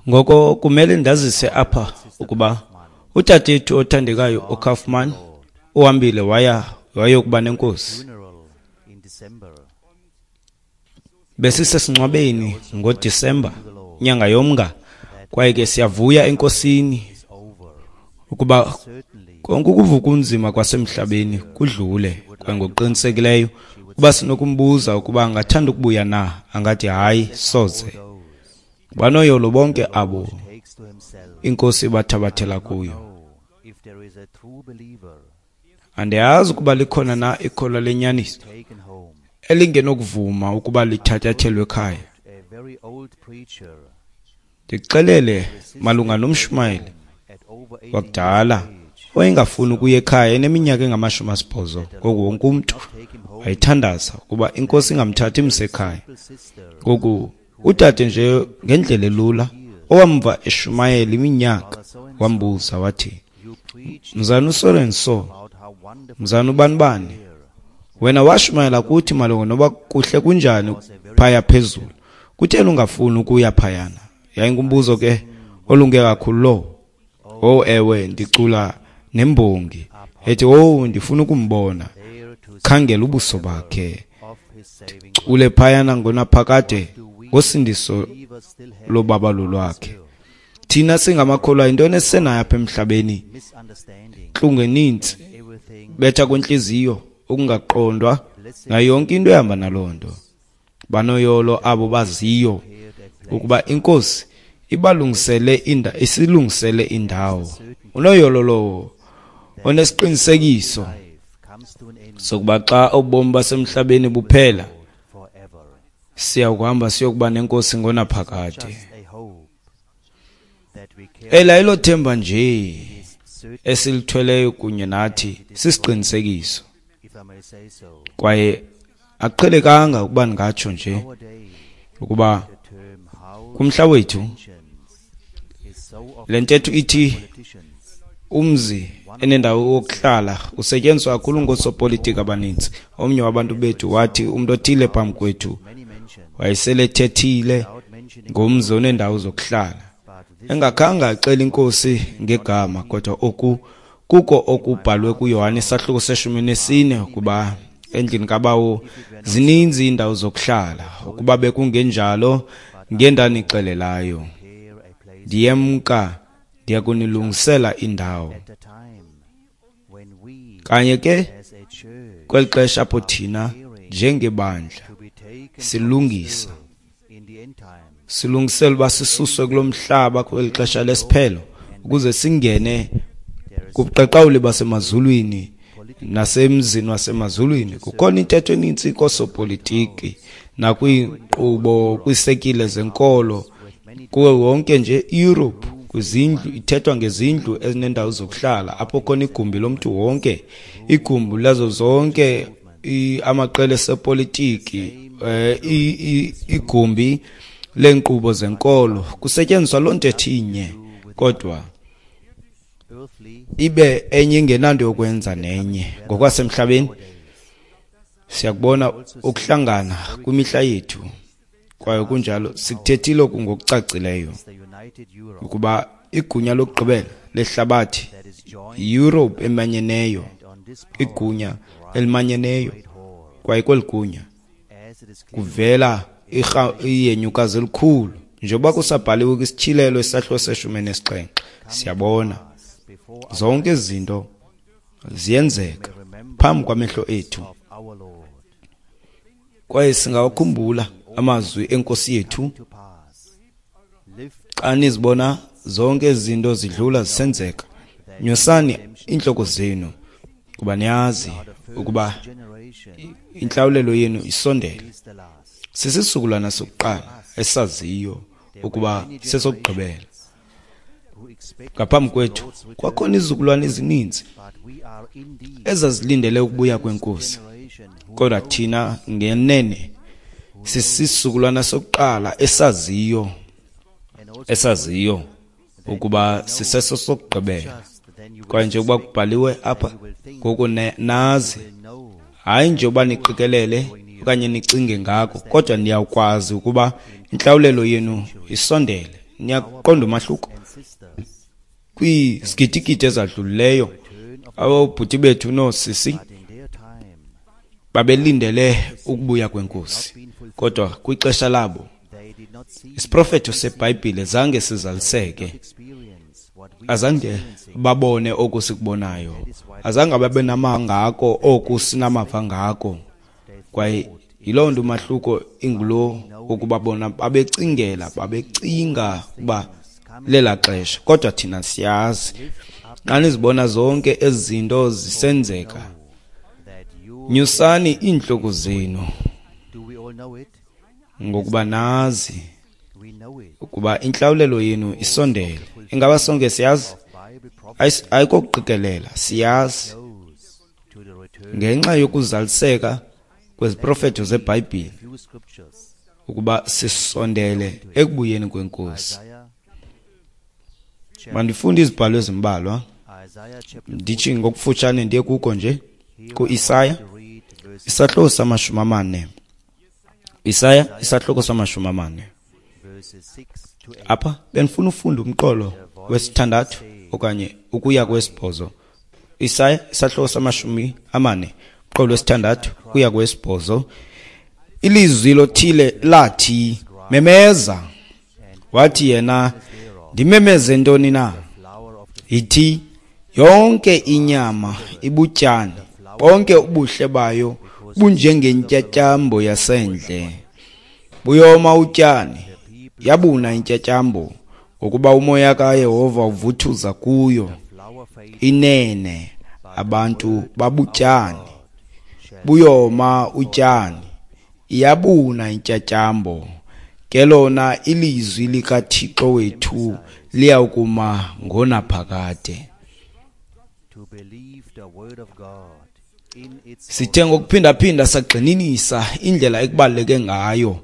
Ngoko kumele ndazise apha ukuba udadethu othandekayo uKaufman uhambile waya wayokuba nenkosi. Besisesingcwabeni ngoDisemba, inyanga yoMnga, kwaye ke siyavuya enkosini ukuba konke ukuvuka unzima kwasemhlabeni kudlule. Kwaye ngokuqinisekileyo ukuba sinokumbuza ukuba angathanda ukubuya na, angathi hayi, soze. Banoyolo bonke abo inkosi ibathabathela kuyo. Andiyazi ukuba likhona na ikholwa lenyaniso elingenokuvuma ukuba lithatyathelwe ekhaya. Ndikuxelele malunga nomshumayeli wakudala owayengafuni ukuya ekhaya eneminyaka engama-80. Ngoku wonke umntu wayethandaza ukuba inkosi ingamthathi imse ekhaya. Ngoku udade nje ngendlela elula owamva eshumayela iminyaka wambuza wathi, "Mzana uSorenso, mzana ubanibani, wena washumayela kuthi malunga noba kuhle kunjani phaya phezulu. Kutheni ungafuni ukuya phayana?" Yayingumbuzo ke olunge kakhulu lowo. Oh ewe, ndicula nembongi ethi, "Oh, ndifuna ukumbona, khangela ubuso bakhe, ndicule phayana ngonaphakade ngosindiso lobabalo lwakhe." Thina singamakholwa yintoni esisenayo apha emhlabeni? Intlungu eninzi, betha kwentliziyo, ukungaqondwa, nayo yonke into ehamba naloo nto. Banoyolo abo baziyo ukuba inkosi ibalungisele inda isilungisele indawo. Unoyolo lowo onesiqinisekiso sokuba xa ubomi basemhlabeni buphela, siya kuhamba siyokuba nenkosi ngonaphakade. Ela ilo themba nje esilithweleyo kunye nathi sisiqinisekiso. Kwaye aqhelekanga ukuba ndingatsho nje ukuba kumhla wethu le ntetho ithi umzi enendawo yokuhlala usetyenziswa kakhulu ngoosopolitiki abaninzi. Omnye wabantu bethu wathi umntu othile phambi kwethu wayeselethethile ngomzi onendawo zokuhlala, engakhange axele inkosi ngegama, kodwa oku kuko okubhalwe kuYohane isahluko se-14 ukuba endlini kaBawo zininzi iindawo zokuhlala. Ukuba bekungenjalo, ngendanixelelayo. Ndiyemka ndiya kunilungisela indawo. Kanye ke kweli xesha apho thina njengebandla silungisa, silungisela uba sisuswe kulo mhlaba kweli xesha lesiphelo ukuze singene kubuqaqawuli basemazulwini nasemzini wasemazulwini. Kukhona intetho enintsi koosopolitiki nakwiinkqubo kwiisekile zenkolo kuwo wonke nje iEurope, kwizindlu ithethwa ngezindlu ezinendawo zokuhlala apho khona igumbi lomntu wonke, igumbi lazo zonke amaqela esepolitiki, igumbi leenkqubo zenkolo. Kusetyenziswa loo ntetho inye, kodwa ibe enye ingenanto yokwenza nenye. Ngokwasemhlabeni siyakubona ukuhlangana kwimihla yethu, kwaye kunjalo sikuthethile oku ngokucacileyo ukuba igunya lokugqibela lehlabathi yiEurope emanyeneyo, igunya elimanyeneyo. Kwaye kweli gunya kuvela iyenyukazi elikhulu, njengoba kusabhaliwe kwisityhilelo isahluko se-17. Siyabona zonke ezi zinto ziyenzeka phambi kwamehlo ethu, kwaye singawakhumbula amazwi enkosi yethu xa nizibona zonke ezi zinto zidlula zisenzeka. Nyusani iintloko zenu, kuba niyazi ukuba intlawulelo yenu isondele. Sisisukulwana sokuqala esaziyo ukuba sesokugqibela. Ngaphambi kwethu kwakhona izizukulwana ezininzi ezazilindele ukubuya kwenkosi, kodwa thina ngenene sisisukulwana sokuqala esaziyo ukuba sisesosokugqibela. Kwaye njengoba kubhaliwe apha, ngoku nazi, hayi nje uba niqikelele okanye nicinge ngako, kodwa niyawukwazi ukuba intlawulelo yenu isondele. Niyaqonda umahluko? Kwizigidigidi ezadlulileyo, abobhuti bethu noosisi babelindele ukubuya kwenkosi, kodwa kwixesha labo isiprofeto seBhayibhile zange sizaliseke. Azange babone oku sikubonayo, azange babe namava ngako oku sinamava ngako. Kwaye yiloo nto umahluko ingulo wokuba bona babecingela, babecinga ukuba lela xesha, kodwa thina siyazi. Xa nizibona zonke ezi zinto zisenzeka, nyusani iintloko zenu, ngokuba nazi ukuba intlawulelo yenu isondele. Ingaba sonke siyazi? Ayikokuqikelela, siyazi ngenxa yokuzaliseka kweziprofeto zeBhayibhile ukuba sisondele ekubuyeni kwenkosi. Mandifunde izibhalo ezimbalwa, ndithi ngokufutshane ndiye kuko nje ku-Isaya isahluko sama-40. Isaya isahluko sama-40. Apha bendifuna ufunda umqolo wesithandathu okanye ukuya kwesibhozo. Isaya isahluko sama-40, umqolo wesithandathu ukuya kwesibhozo. Ilizwi lothile lathi, memeza. Wathi yena, ndimemeze ntoni na? Yithi, yonke inyama ibutyani, bonke ubuhle bayo bunjengentyatyambo yasendle. Buyoma utyani, yabuna intyatyambo, ngokuba umoya kaYehova uvuthuza kuyo. Inene abantu babutyani, buyoma utyani, iyabuna intyatyambo. Ke lona ilizwi likaThixo wethu liyawukuma ngonaphakade. Sithe ngokuphindaphinda sagxininisa indlela ekubaluleke ngayo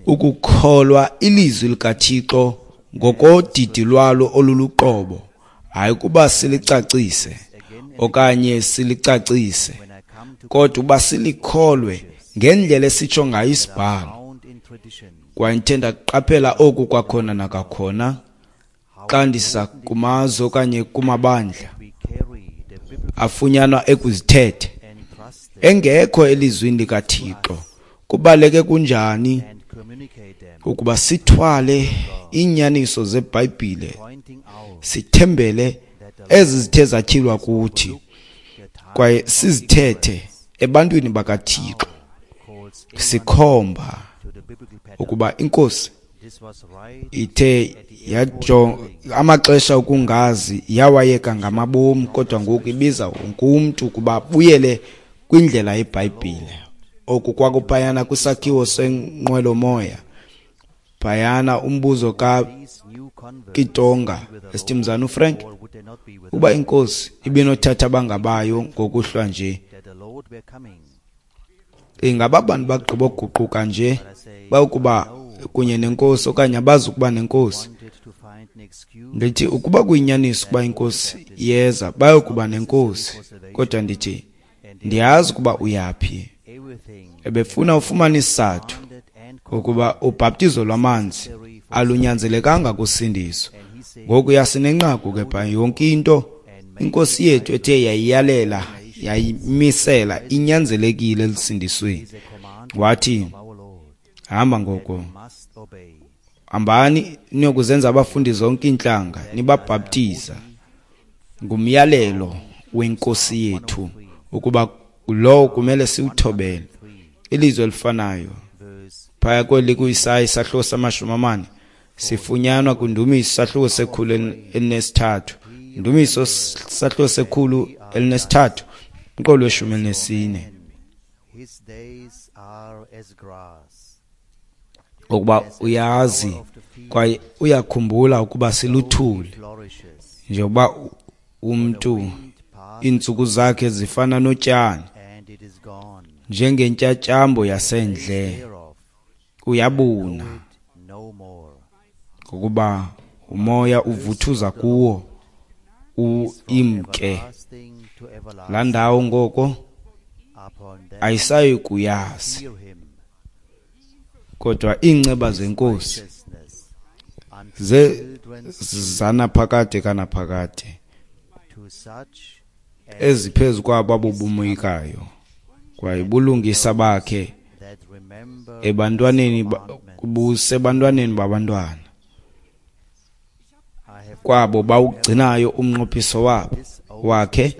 ukukholwa ilizwi likaThixo ngokodidi lwalo oluluqobo, hayi ukuba silicacise okanye silicacise, kodwa uba silikholwe ngendlela esitsho ngayo isibhalo. Kwaye ndithe ndaqaphela oku kwakhona nakakhona xa ndisa kumazwe okanye kumabandla afunyanwa ekuzithethe engekho elizwini likaThixo. Kubaluleke kunjani ukuba sithwale iinyaniso zeBhayibhile, sithembele ezi zithe zatyhilwa kuthi, kwaye sizithethe ebantwini bakaThixo, sikhomba ukuba inkosi ithe yajonga amaxesha okungazi yawayeka ngamabomu, kodwa ngoku ibiza wonke umntu ukuba abuyele kwindlela yeBhayibhile. Oku kwakuphayana kwisakhiwo senqwelomoya phayana, umbuzo kaKitonga esithi, mzana uFrank, ukuba inkosi ibinothatha abangabayo ngokuhlwa nje, ingaba abantu bagqiba oguquka nje bayokuba kunye nenkosi okanye abazi ukuba nenkosi? Ndithi ukuba kuyinyaniso ukuba inkosi yeza, bayokuba nenkosi, kodwa ndithi ndiyazi ukuba uyaphi. Ebefuna ufumana isizathu ukuba ubhaptizo lwamanzi alunyanzelekanga kusindiso. Ngoku yasinenqaku ke pha, yonke into inkosi yethu ethe yayiyalela yayimisela inyanzelekile elusindisweni. Wathi, hamba ngoko, hambani niyokuzenza abafundi zonke iintlanga, nibabhaptiza. Ngumyalelo wenkosi yethu ukuba lowo kumele siwuthobele. Ilizwi elifanayo phaya kweli kuIsaya isahluko sama-40 sifunyanwa kwindumiso isahluko 103, ndumiso isahluko 103 umqolo we-14. Ngokuba uyazi kwaye uyakhumbula ukuba siluthuli, njengoba umntu iintsuku zakhe zifana notyani, njengentyatyambo yasendle uyabuna, ngokuba umoya uvuthuza kuwo uimke. Laa ndawo ngoko ayisayi kuyazi. Kodwa iinceba zeNkosi zanaphakade kanaphakade, eziphezu kwabo abo bumoyikayo, kwaye ubulungisa bakhe ebantwaneni busebantwaneni babantwana, kwabo bawugcinayo umnqophiso wabo wakhe,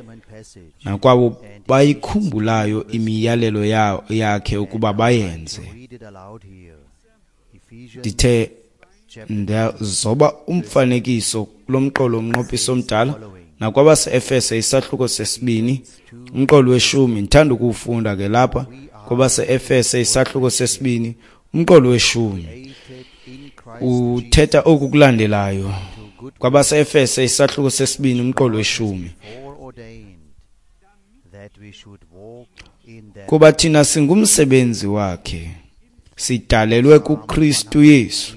nakwabo bayikhumbulayo imiyalelo yakhe ukuba bayenze. Ndithe ndazoba umfanekiso kulo mqolo umnqophiso omdala, nakwabase-Efese isahluko 2 umqolo we-10. Ndithanda ukuwufunda ke lapha kwabase-Efese isahluko 2 umqolo we-10. Uthetha oku kulandelayo kwabase-Efese isahluko 2 umqolo we-10. Kuba thina singumsebenzi wakhe, sidalelwe kuKristu Yesu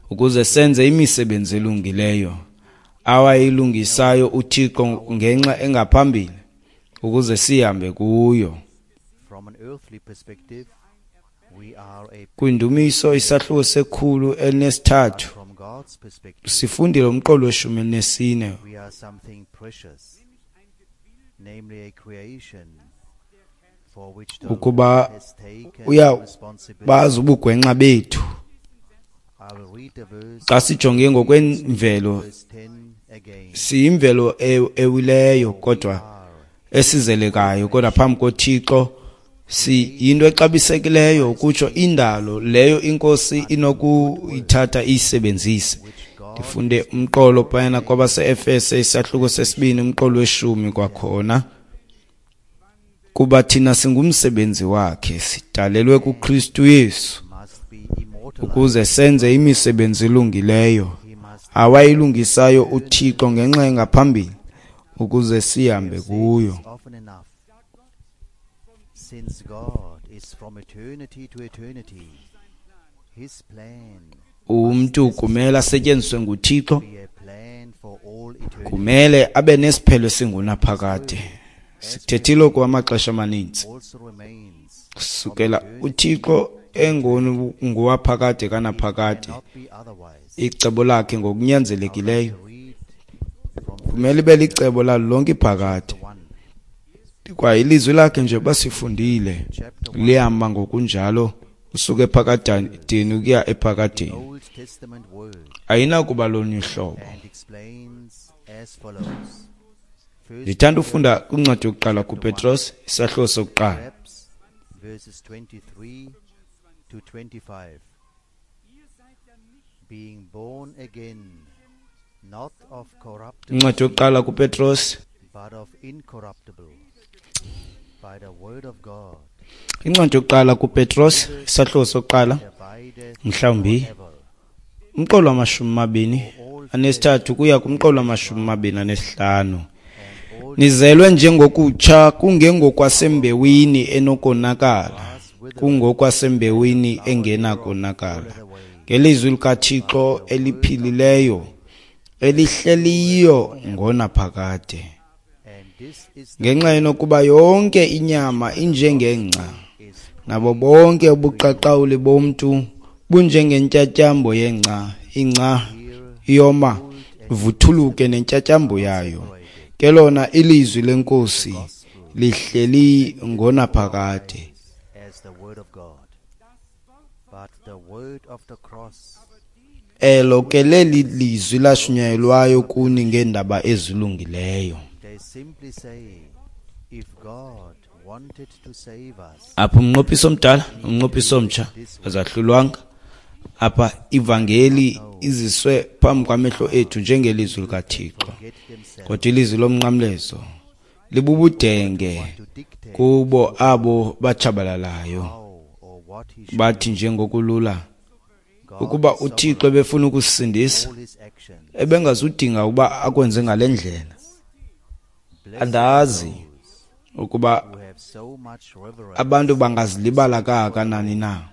ukuze senze imisebenzi elungileyo awayilungisayo uThixo ngenxa engaphambili ukuze sihambe kuyo. Kwindumiso isahluko 103 sifundile umqolo we-14. Ukuba uyabazi ubugwenxa bethu, xa sijonge ngokwemvelo, siyimvelo ewileyo kodwa esizelekayo, kodwa phambi koThixo siyinto exabisekileyo, ukutsho indalo leyo iNkosi inokuyithatha iyisebenzise. Ndifunde umqolo phayana kwabase-Efese isahluko 2 umqolo we-10 kwakhona. Kuba thina singumsebenzi wakhe, sidalelwe kuKristu Yesu ukuze senze imisebenzi elungileyo awayilungisayo uThixo ngenxa engaphambili ukuze sihambe kuyo. Umntu kumele asetyenziswe nguThixo, kumele abe nesiphelo esingunaphakade. Sithethile oku amaxesha amaninzi. Sukela uThixo enguwaphakade kanaphakade, icebo lakhe ngokunyanzelekileyo kumele ibe licebo lalo lonke iphakade. Kwaye ilizwi lakhe nje basifundile lihamba ngokunjalo usuke ephakadeni ukuya ephakadeni, ayinakuba lolunye uhlobo. Ndithanda ufunda kwincwadi yokuqala kuPetros isahluko 1. Verses 23 to 25. Being born again, not of corruptible Incwadi yokuqala kuPetros, but of incorruptible, by the word of God. Incwadi yokuqala kuPetros isahluko 1, mhlawumbi umqolo wa-23 kuya kumqolo wa-25. Nizelwe njengokutsha, kungengokwasembewini enokonakala, kungokwasembewini engenakonakala, ngelizwi likaThixo eliphilileyo elihleliyo ngonaphakade. Ngenxa yenokuba yonke inyama injengengca, nabo bonke ubuqaqawuli bomntu bunjengentyatyambo yengca. Ingca iyoma ivuthuluke nentyatyambo yayo, ke lona ilizwi leNkosi lihleli ngonaphakade. Elo ke leli lizwi lashunyayelwayo kuni ngeendaba ezilungileyo. Apha umnqophiso omdala nomnqophiso omtsha azahlulwanga. Apha ivangeli iziswe phambi kwamehlo ethu njengelizwi likaThixo, kodwa ilizwi lomnqamlezo libubudenge kubo abo batshabalalayo. Bathi njengokulula ukuba uThixo ebefuna ukusindisa, ebengazudinga ukuba akwenze ngale ndlela. Andazi ukuba abantu bangazilibala kangakanani na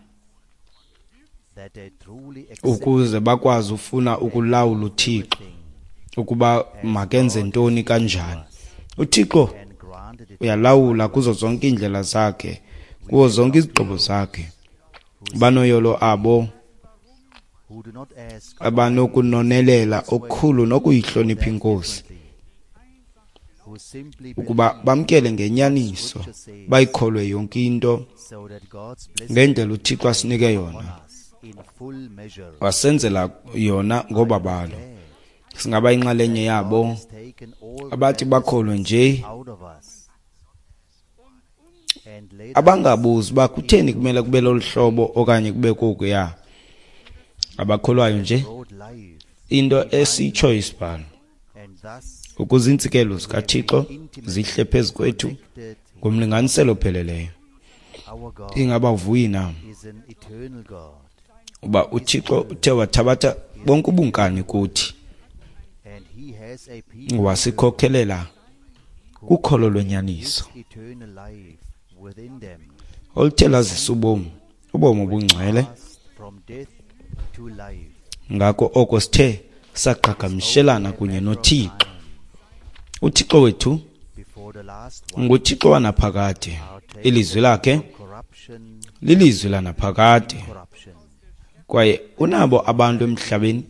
ukuze bakwazi ufuna ukulawula uThixo ukuba makenze ntoni kanjani. uThixo Uyalawula kuzo zonke iindlela zakhe, kuwo zonke izigqibo zakhe. Banoyolo abo abanokunonelela okukhulu nokuyihlonipha iNkosi, ukuba bamkele ngenyaniso, bayikholwe yonke into ngendlela uThixo asinike yona, wasenzela yona ngobabalo. Singaba inxalenye yabo abathi bakholwe nje, abangabuzi uba kutheni kumele kube lolu hlobo okanye kube kokuya. Abakholwayo nje into esitsho isibhalo, ukuze iintsikelo zikaThixo zihle phezu kwethu ngomlinganiselo opheleleyo. Ingabavuyi na uba uThixo uthe wathabatha bonke ubunkani kuthi, wasikhokhelela kukholo lwenyaniso oluthe lazisa ubomi, ubomi obungcwele. Ngako oko sithe saqhagamshelana kunye noThixo. UThixo wethu nguThixo wanaphakade. Ilizwi lakhe lilizwi lanaphakade, kwaye unabo abantu emhlabeni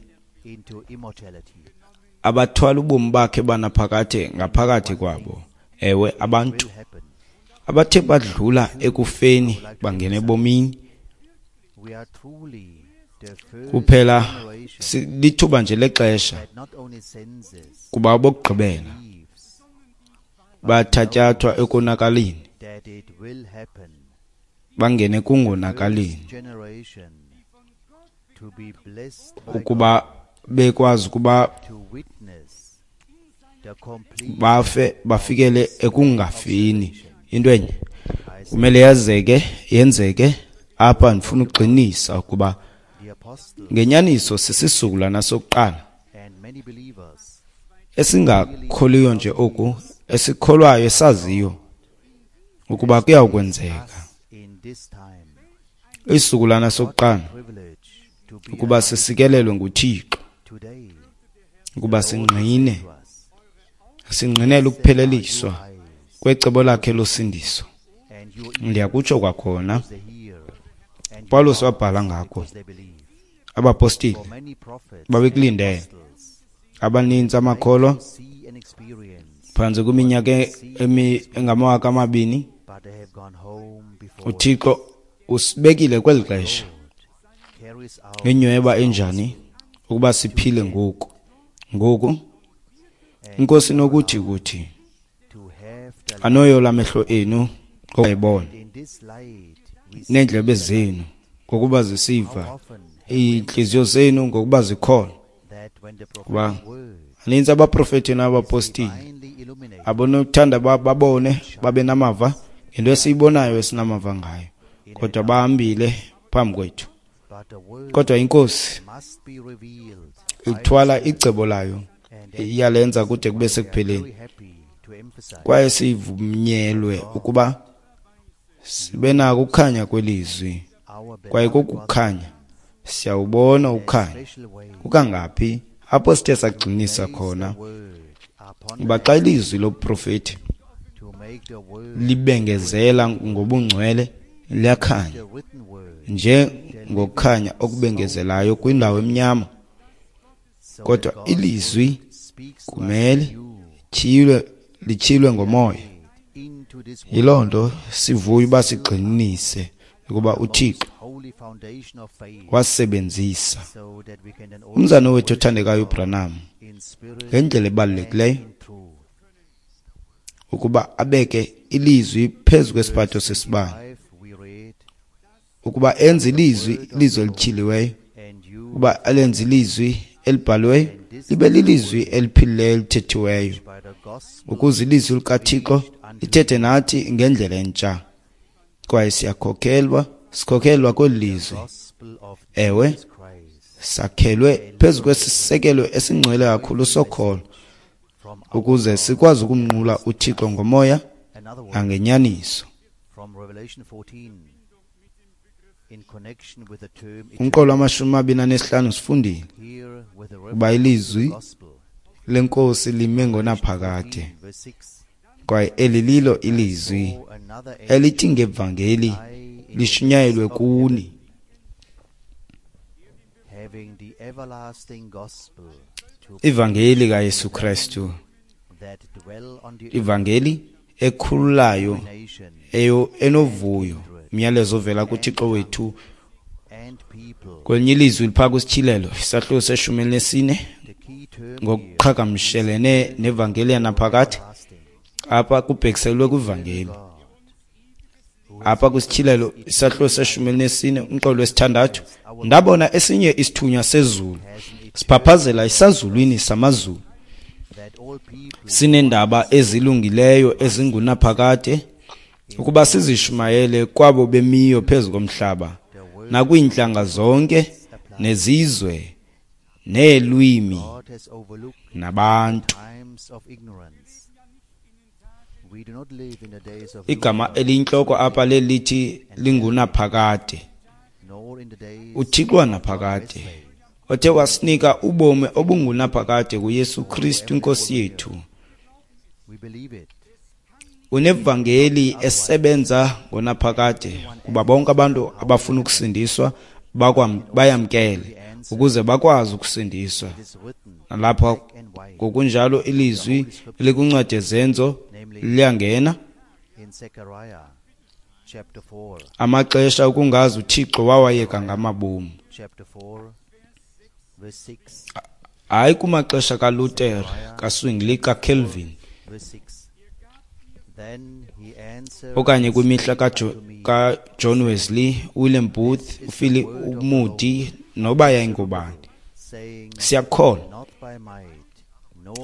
abathwala ubomi bakhe banaphakade ngaphakathi kwabo. Ewe, abantu abathe badlula ekufeni bangena ebomini. Kuphela lithuba nje lexesha, kuba abokugqibela bathatyathwa ekonakaleni bangene kungonakaleni, ukuba bekwazi ukuba bafe bafikele ekungafini. Into enye kumele yazeke yenzeke apha. Ndifuna ukugxinisa ukuba ngenyaniso sisisukulwana sokuqala esingakholiyo nje oku, esikholwayo, esaziyo ukuba kuyawukwenzeka. Isizukulwana sokuqala ukuba sisikelelwe nguThixo, ukuba singqine, singqinele ukupheleliswa kwecebo lakhe losindiso. Ndiyakutsho kwakhona, Pawulos wabhala ngako, abapostile babekulindele, abaninzi amakholwa phantsi kwiminyaka engama-2000. UThixo usibekile kweli xesha inyweba enjani ukuba siphile ngoku. Ngoku iNkosi nokuthi kuthi anoyola amehlo enu ngokuyibona, neendlebe zenu ngokuba zisiva, iintliziyo zenu ngokuba zikhona. Kuba aninzi abaprofeti nabapostile abonokuthanda babone, babe namava ngento esiyibonayo esinamava ngayo, kodwa bahambile phambi kwethu. Kodwa iNkosi ithwala icebo layo, iyalenza kude kube sekupheleni. Kwaye sivunyelwe ukuba sibe nako ukukhanya kwelizwi, kwaye kokukhanya siyawubona ukukhanya kukangaphi apho sithe sagxinisa khona uba xa ilizwi lobuprofeti libengezela ngobungcwele, liyakhanya njengokukhanya okubengezelayo kwindawo emnyama. Kodwa ilizwi kumele lityhilwe ngomoya. Yiloo nto sivuya uba sigxininise ukuba uThixo wasebenzisa umzana wethu othandekayo uBranham ngendlela ebalulekileyo ukuba abeke ilizwi phezu kwesiphatho sesibane, ukuba enze ilizwi, ilizwi elityhiliweyo, ukuba alenze ilizwi elibhaliweyo libe lilizwi eliphilileyo elithethiweyo, ukuze ilizwi likaThixo lithethe nathi ngendlela entsha. Kwaye siyakhokhelwa, sikhokhelwa kweli lizwi. Ewe, sakhelwe phezu kwesisekelo esingcwele kakhulu sokholo, ukuze sikwazi ukumnqula uThixo ngomoya nangenyaniso. Umqolo wama-25 sifundile uba ilizwi lenkosi lime ngonaphakade. Kwaye eli lilo ilizwi elithi ngevangeli lishunyayelwe kuni. Ivangeli kaYesu Kristu, ivangeli ekhululayo enovuyo, umyalezo ovela kuThixo wethu. Kwelinye ilizwi liphaa kwisityhilelo isahluko se-14 ngokuqhagamshelene nevangeli yanaphakade. Apha kubhekiselwe kwivangeli. Apha kwisityhilelo isahluko se-14 umqolo wesithandathu, ndabona esinye isithunywa sezulu siphaphazela isazulwini samazulu, sineendaba ezilungileyo ezingunaphakade ukuba sizishumayele kwabo bemiyo phezu komhlaba, nakwiintlanga zonke nezizwe neelwimi nabantu. Igama eliyintloko apha lelithi lingunaphakade, uThixo wanaphakade, othe wasinika ubomi obungunaphakade kuYesu Kristu iNkosi yethu. Unevangeli esebenza ngonaphakade kuba bonke abantu abafuna ukusindiswa bayamkele ukuze bakwazi ukusindiswa. Nalapha ngokunjalo ilizwi elikwincwadi yeZenzo liyangena. Amaxesha ukungazi uThixo wawayeka ngamabomu. Hayi kumaxesha kaLuther, kaZwingli, kaCalvin, okanye kwimihla kaJohn Wesley, William Booth, uPhilip Moody, noba yayingubani. Siyakholwa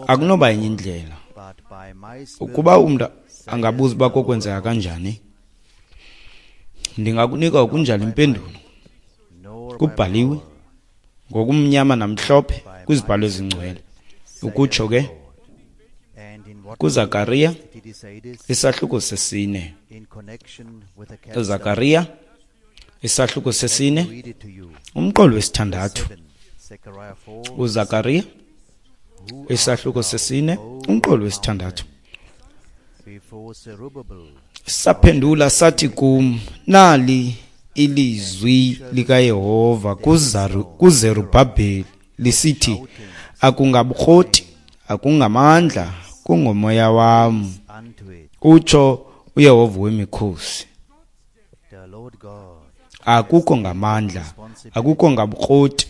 akunoba yenye indlela. Ukuba umntu angabuza uba kokwenzeka kanjani, ndingakunika okunjalo impendulo. Kubhaliwe ngokumnyama namhlophe kwizibhalo ezingcwele. Ukutsho ke kuZakariya isahluko 4. uZakariya isahluko 4 umqolo wesithandathu. uZakariya isahluko 4 umqolo wesithandathu. Saphendula sathi kum, nali ilizwi likaYehova kuZerubhabheli lisithi, akungabukroti, akungamandla, kungomoya wam, utsho uYehova wemikhosi. Akukho ngamandla, akukho ngabukroti,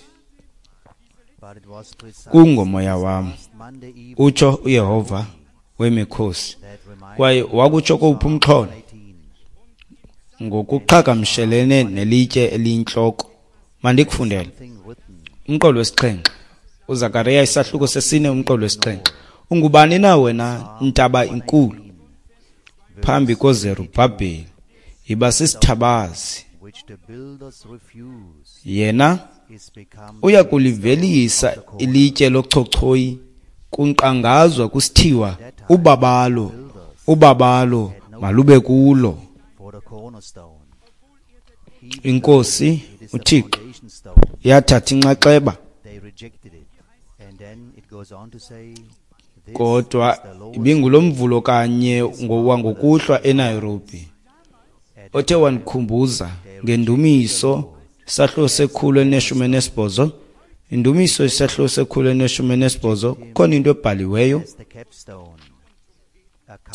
kungomoya wam, utsho uYehova wemikhosi. Kwaye wakutsho kowuphi umxholo? Ngokuqhagamshelene nelitye eliyintloko. Mandikufundele umqolo wesixhenxe, uZakariya isahluko 4 umqolo wesixhenxe. Ungubani na wena ntaba inkulu phambi koZerubhabheli? Yiba sisithabazi. Yena uya kulivelisa ilitye lochochoyi, kunkqangazwa kusithiwa ubabalo, ubabalo malube kulo. Inkosi uThixo yathatha inxaxheba, kodwa ibingulomvulo kanye wangokuhlwa eNairobi othe wandikhumbuza ngendumiso isahluko 118. Indumiso isahluko 118, kukhona into ebhaliweyo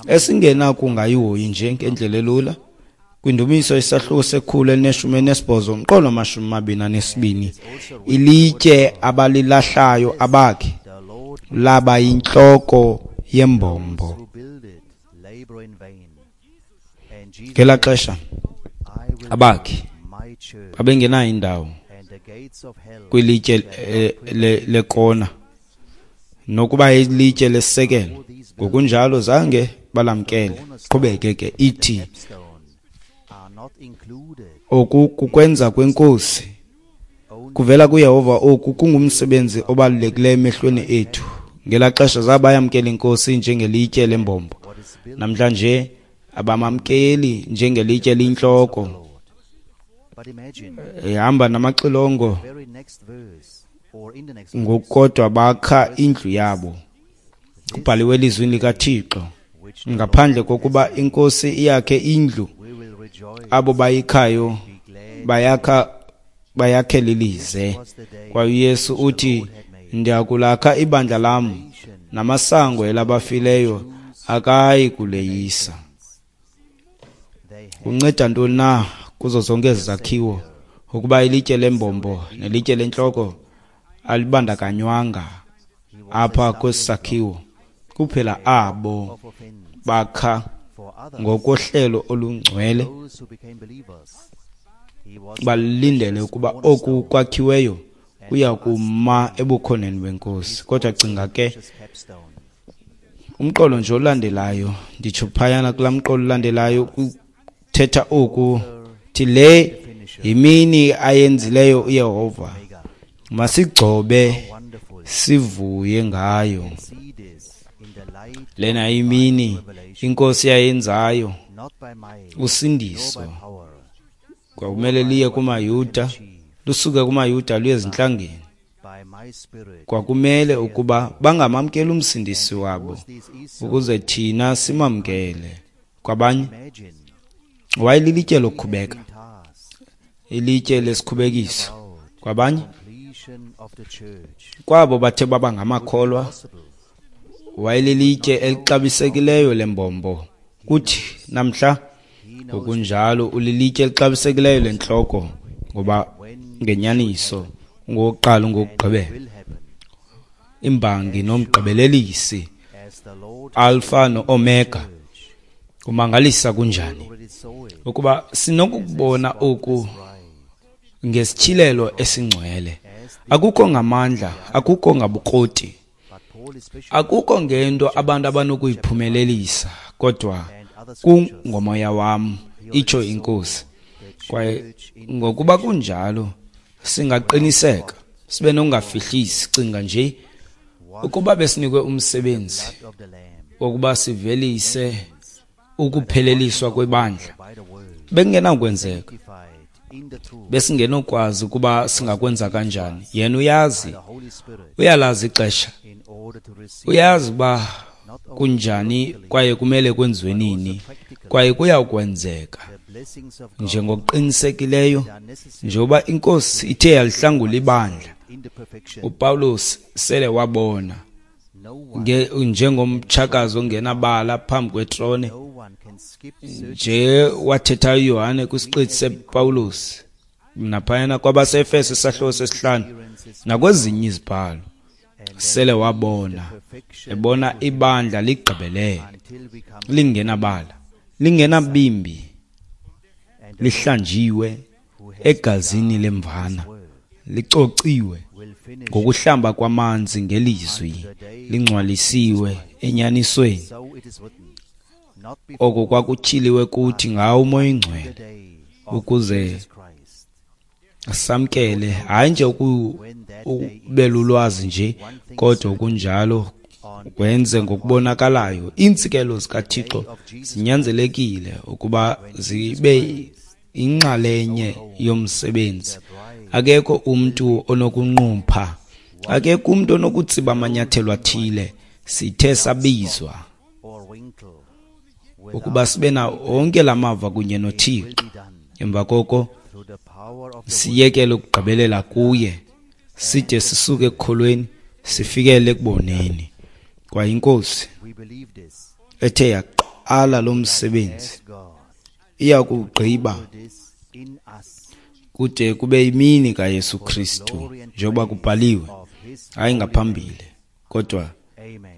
esingena kungayihoyi nje ngendlela elula. Kwindumiso isahluko 118 umqolo 22, ilitye abalilahlayo abakhe laba yintloko yembombo. Ngelaa xesha abakhe babengenayo indawo kwilitye lekona nokuba ilitye lesisekelo, ngokunjalo zange balamkele. Qhubeke ke ithi, oku kukwenza kwenkosi, kuvela kuYehova, oku kungumsebenzi obalulekileyo emehlweni ethu. Ngelaa xesha zabayamkela inkosi njengelitye lembombo, namhlanje abamamkeli njengelitye eliyintloko. Ehamba namaxilongo ngokukodwa bakha indlu yabo. Kubhaliwe elizwini likaThixo. Ngaphandle kokuba iNkosi iyakhe indlu, abo bayikhayo bayakha bayakhela ilize. Kwaye uYesu uthi, ndiyakulakha ibandla lam, namasango elabafileyo akayi kuleyisa. Kunceda ntoni na kuzo zonke ezi zakhiwo ukuba ilitye lembombo nelitye lentloko alibandakanywanga apha kwesi sakhiwo? Kuphela abo bakha ngokohlelo olungcwele balindele ukuba oku kwakhiweyo kuya kuma ebukhoneni beNkosi. Kodwa cinga ke, umqolo nje olandelayo, nditsho phayana kulaa mqolo ulandelayo, kuthetha oku, thi le yimini ayenzileyo uYehova, masigcobe sivuye ngayo. Lena imini iNkosi yayenzayo, usindiso kwakumele liye kumaYuda, lusuke kumaYuda luye ezintlangeni. Kwakumele ukuba bangamamkeli umsindisi wabo ukuze thina simamkele. Kwabanye wayelilitye lokukhubeka, ilitye lesikhubekiso. Kwabanye, kwabo bathe baba ngamakholwa, wayelilitye elixabisekileyo lembombo. Kuthi namhla ngokunjalo ulilitye elixabisekileyo lentloko, ngoba ngenyaniso ungowokuqala ungowokugqibela, imbangi nomgqibelelisi, Alpha no-Omega. Kumangalisa kunjani ukuba sinokubona oku ngesityhilelo esingcwele. Akukho ngamandla, akukho ngabukroti, akukho ngento abantu abanokuyiphumelelisa, kodwa kungomoya wam, itsho iNkosi. Kwaye ngokuba kunjalo singaqiniseka, sibe nokungafihlisi. Cinga nje ukuba besinikwe umsebenzi wokuba sivelise ukupheleliswa kwebandla, bekungenakwenzeka, besingenokwazi ukuba singakwenza kanjani. Yena uyazi, uyalazi ixesha, uyazi uba kunjani kwaye kumele kwenziwe nini, kwaye kuyawukwenzeka njengokuqinisekileyo njengoba iNkosi ithe yalihlangula ibandla. uPawulos sele wabona njengomtshakazi ongenabala phambi kwetrone, nje wathetha uYohane kwisiqithi sePawulos naphayana kwabaseEfeso isahluko sesihlanu nakwezinye izibhalo, sele wabona, ebona ibandla ligqibelele, lingenabala, lingenabimbi, lihlanjiwe egazini lemvana, licociwe ngokuhlamba kwamanzi ngelizwi, lingcwalisiwe enyanisweni. Oko kwakutyhiliwe kuthi ngawo uMoya oyiNgcwele, ukuze samkele, hayi nje ube lulwazi nje, kodwa kunjalo wenze ngokubonakalayo. Iintsikelo zikaThixo zinyanzelekile ukuba zibe inxalenye yomsebenzi. Akekho umntu onokunqupha, akekho umntu onokutsiba amanyathelo athile. Sithe sabizwa ukuba sibe nawo onke la mava kunye noThixo. Emva koko siyekele ukugqibelela kuye, side sisuke ekukholweni sifikele ekuboneni. Kwaye iNkosi ethe yaqala lo msebenzi iya kuwugqiba kude kube imini kaYesu Kristu, njengoba kubhaliwe, hayi ngaphambili, kodwa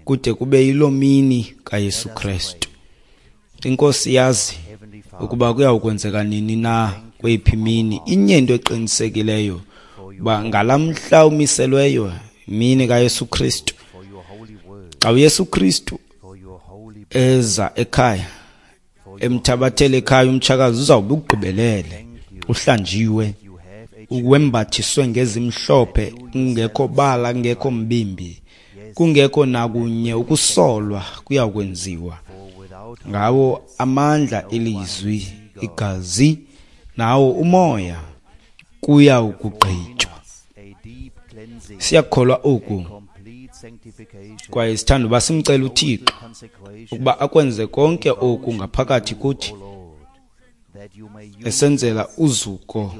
kude kube yiloo mini kaYesu Kristu. INkosi yazi ukuba kuyawukwenzeka nini na, kweyiphi mini. Inye into eqinisekileyo, uba ngalaa mhla umiselweyo, imini kaYesu Kristu, xa uYesu Kristu eza ekhaya, emthabathele ekhaya umtshakazi, uzawube ugqibelele, uhlanjiwe, wembathiswe ngezimhlophe, kungekho bala, kungekho mbimbi, kungekho nakunye ukusolwa kuyawukwenziwa ngawo amandla elizwi, igazi, nawo umoya, kuyawukugqitywa. Siyakholwa oku Kwaye sithanda uba simcele uThixo ukuba akwenze konke oku ngaphakathi kuthi, esenzela uzuko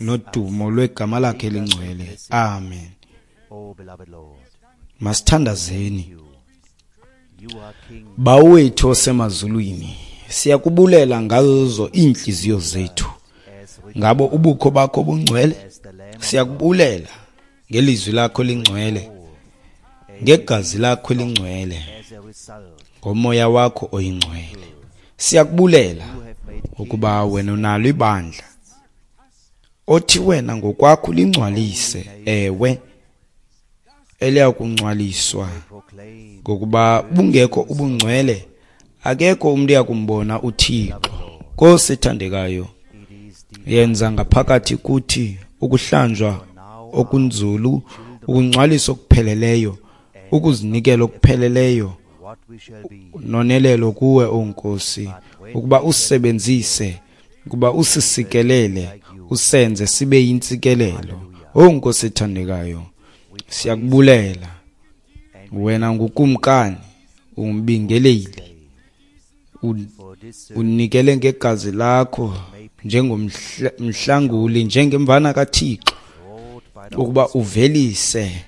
nodumo lwegama lakhe elingcwele. Amen. Masithandazeni. Bawo wethu osemazulwini, siyakubulela ngazo iintliziyo zethu, ngabo ubukho bakho bungcwele. Siyakubulela ngelizwi lakho lingcwele, ngegazi lakho lingcwele, ngomoya wakho oyingcwele. Siyakubulela ukuba wena unalo ibandla othi wena ngokwakho lingcwalise, ewe, eliya kungcwaliswa, ngokuba bungekho ubungcwele akekho umuntu uyakumbona uThixo. Nkosi ethandekayo, yenza ngaphakathi kuthi ukuhlanjwa okunzulu, ukungcwaliswa okupheleleyo, ukuzinikela okupheleleyo, nonelelo kuwe, O Nkosi, ukuba usebenzise, ukuba usisikelele, usenze sibe yintsikelelo. O Nkosi ethandekayo, siyakubulela. Wena ngukumkani, ungumbingeleli, unikele ngegazi lakho njengomhlanguli, njengemvana kaThixo, ukuba uvelise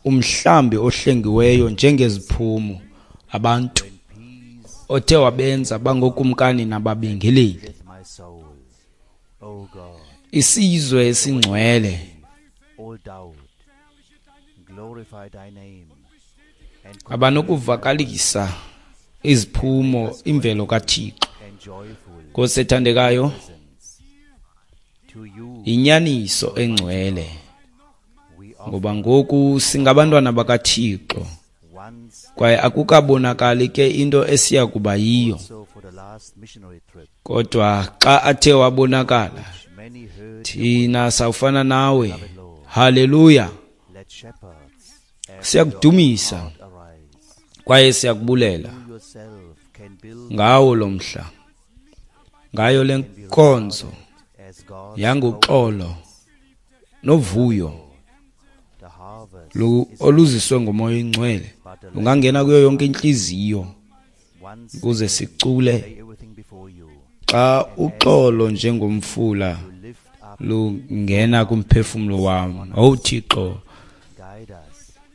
umhlambi ohlengiweyo njengeziphumo, abantu othe wabenza bangokumkani nababingeleli, isizwe esingcwele, abanokuvakalisa iziphumo imvelo kaThixo. Nkosi ethandekayo, inyaniso engcwele, ngoba ngoku singabantwana bakaThixo, kwaye akukabonakali ke into esiya kuba yiyo, kodwa xa athe wabonakala, thina sawufana nawe. Haleluya. Siyakudumisa kwaye siyakubulela ngawo lo mhla, ngayo le nkonzo yanguxolo novuyo oluziswe ngomoya oyingcwele, lungangena kuyo yonke intliziyo ukuze sicule xa uxolo njengomfula lungena kumphefumlo wam. Owu Thixo,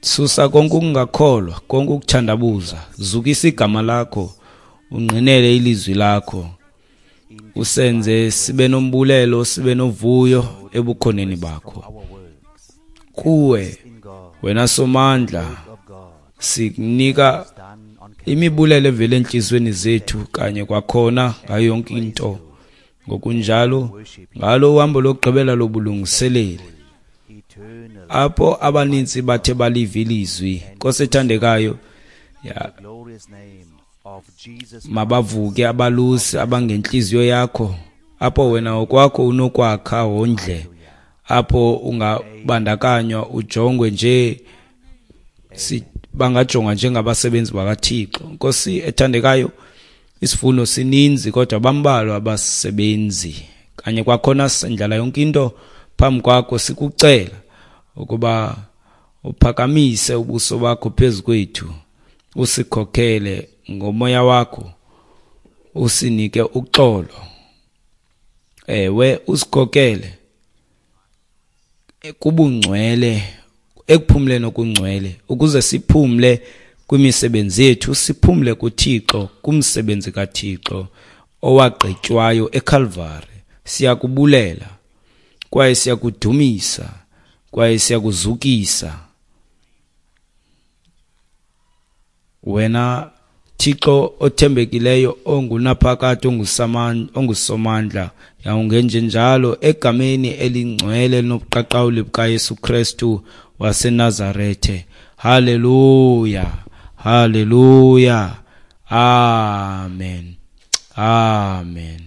susa konke ukungakholwa, konke ukuthandabuza, zukisa igama lakho, ungqinele ilizwi lakho, usenze sibe nombulelo, sibe novuyo ebukhoneni bakho. Kuwe wena Somandla sikunika imibulelo evela entliziyweni zethu kanye kwakhona ngayo yonke into. Ngokunjalo ngalo uhambo lokugqibela lobulungiseleli, apho abaninzi bathe baliva ilizwi. Nkosi ethandekayo, mabavuke abalusi abangentliziyo yakho, apho wena ngokwakho unokwakha wondle, apho ungabandakanywa ujongwe nje, bangajongwa njengabasebenzi bakaThixo. Nkosi ethandekayo, isivuno sininzi kodwa bambalwa abasebenzi. Kanye kwakhona sendlala yonke into phambi kwakho, sikucela ukuba uphakamise ubuso bakho phezu kwethu, usikhokhele ngomoya wakho, usinike uxolo. Ewe, usikhokhele kubungcwele, ekuphumleni okungcwele, ukuze siphumle kwimisebenzi yethu, siphumle kuThixo, kumsebenzi kaThixo owagqitywayo eCalvary. Siyakubulela kwaye siyakudumisa kwaye siyakuzukisa wena Thixo othembekileyo, ongunaphakade, ongusomandla. Yawungenjenjalo egameni elingcwele nobuqaqawuli bukaYesu Kristu waseNazarethe. Haleluya, haleluya, amen, amen.